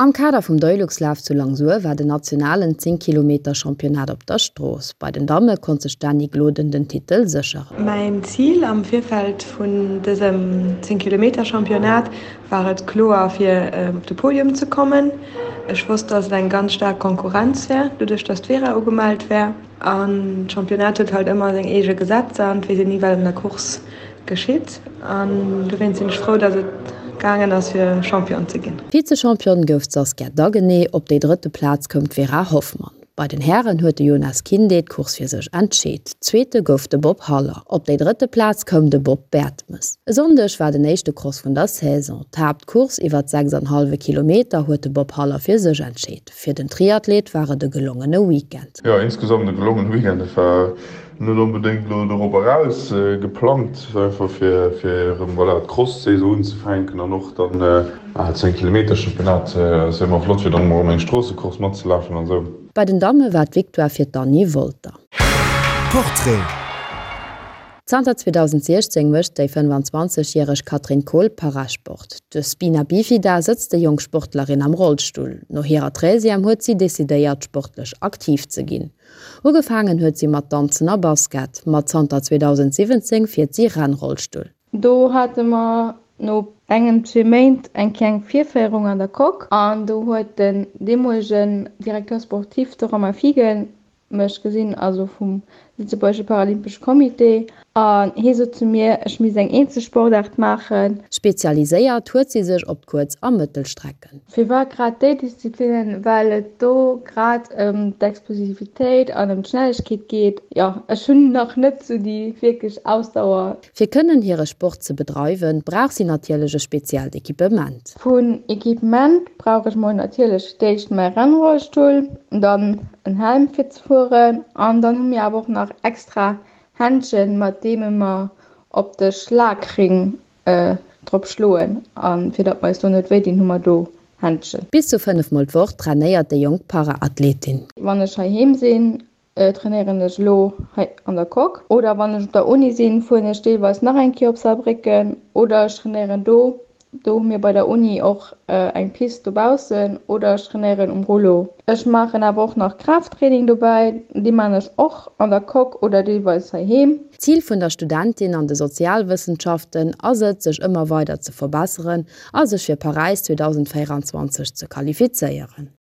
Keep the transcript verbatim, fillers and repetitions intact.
Am Kader vum Deuxlaf zu Langsur war den nationalen zéng Kilometer Championnat op der Strooss. Bei den Damme konnt sech d'Dany Gloden den Titel sécheren. Mäin Zil am Virfeld vun dësem zéng Kilometer Championnat war et kloer fir op de Podium ze kommen. Ech wosst, dass et eng ganz staark Konkurrenz wär, doduerch dass d'Vera ugemellt wär. An d'Championnat huet halt ëmmer seng eege Gesetzer an et weess een ni wat an der Course geschitt. An dowéinst sinn ech frou, dass et gaangen ass fir Champion ze ginn. Vize-Championne gouf d'Saskia Daguenet, op déi drëtte Plaz koum d'Vera Hoffmann. Bei den Hären huet de Yonas Kinde d'Course fir sech entscheet. Zweete gouf de Bob Haller, op déi drëtte Plaz koum de Bob Bertemes. E Sonndeg war den éischte Cross vun der Saison. D'Haaptcourse iwwer sechs an hallwe Kilometer huet de Bob Haller fir sech entscheet. Fir den Triathlet war et e gelongene Weekend. Jo, insgesamt e gelongene Weekend. Et war net onbedéngt elo dorop eraus geplangt, einfach fir fir erëm voilà d'Cross-Saison unzefänken an och dann zéng Kilometer Championnat ass jo ëmmer flott fir dann erëm eng Stroossecourse matzelafen an esou. Bei den Damme war d'Victoire fir d'Anny Wolter. Portrait. Zanter zweedausentsiechzéng mécht déi fënnfanzwanzeg järeg Catherine Kohl Parasport. Duerch Spina Bifida sëtzt déi jonk Sportlerin am Rollstull. No hirer Treizième huet si decidéiert, sportlech aktiv ze ginn. Ugefaangen huet si mat Danzen a Basket, ma zanter zweedausentsiwwenzéng fiert si Rennrollstull. Do hate mer no engem, zwee Méint eng kleng Virféierung an der Coque an do huet den deemolegen Directeur sportif, de Romain Fiegel, mech gesinn, also vum Lëtzebuergesche Paralympesche Comité, an hie sot zu mir, ech misst eng eenzel Sportaart maachen. Spezialiséiert huet si sech op d'Kuerz a Mëttelstrecken. Firwat grad déi Disziplinnen? Well et do grad ëm d'Explosivitéit an ëm d'Schnellegkeet geet. Jo, ech hunn nach net sou déi wierklech Ausdauer. Fir kënnen hire Sport ze bedreiwen, brauch si natierlech e speziellt Equipement. Vun Equipement brauch ech mol natierlech d'éischt mäi Rennrollstull, dann en Helm fir ze fueren an dann hu mir awer och nach extra Händschen, mat deeme mer op de Schlagring drop schloen a fir datt mer eis do net wéi dinn, hu mer do Händschen. Bis zu fënnef mol d'Woch trainéiert déi jonk Para-Athletin. Wann ech heiheem sinn, trainéieren ech elo hei an der Coque oder wann ech op der Uni sinn, fueren ech deelweis nach eng Kéier op Saarbrécken oder ech trainéieren do. Do hu mir bei der Uni och eng Pist dobaussen oder ech trainéieren um Rollo. Ech maachen awer och nach Kraafttraining dobäi, dee maan ech och an der Coque oder deelweis heiheem. D'Zil vun der Studentin an de Sozialwëssenschaften ass et, sech ëmmer weider ze verbesseren a sech fir Paräis zweedausendvéierundzwanzeg ze qualifizéieren.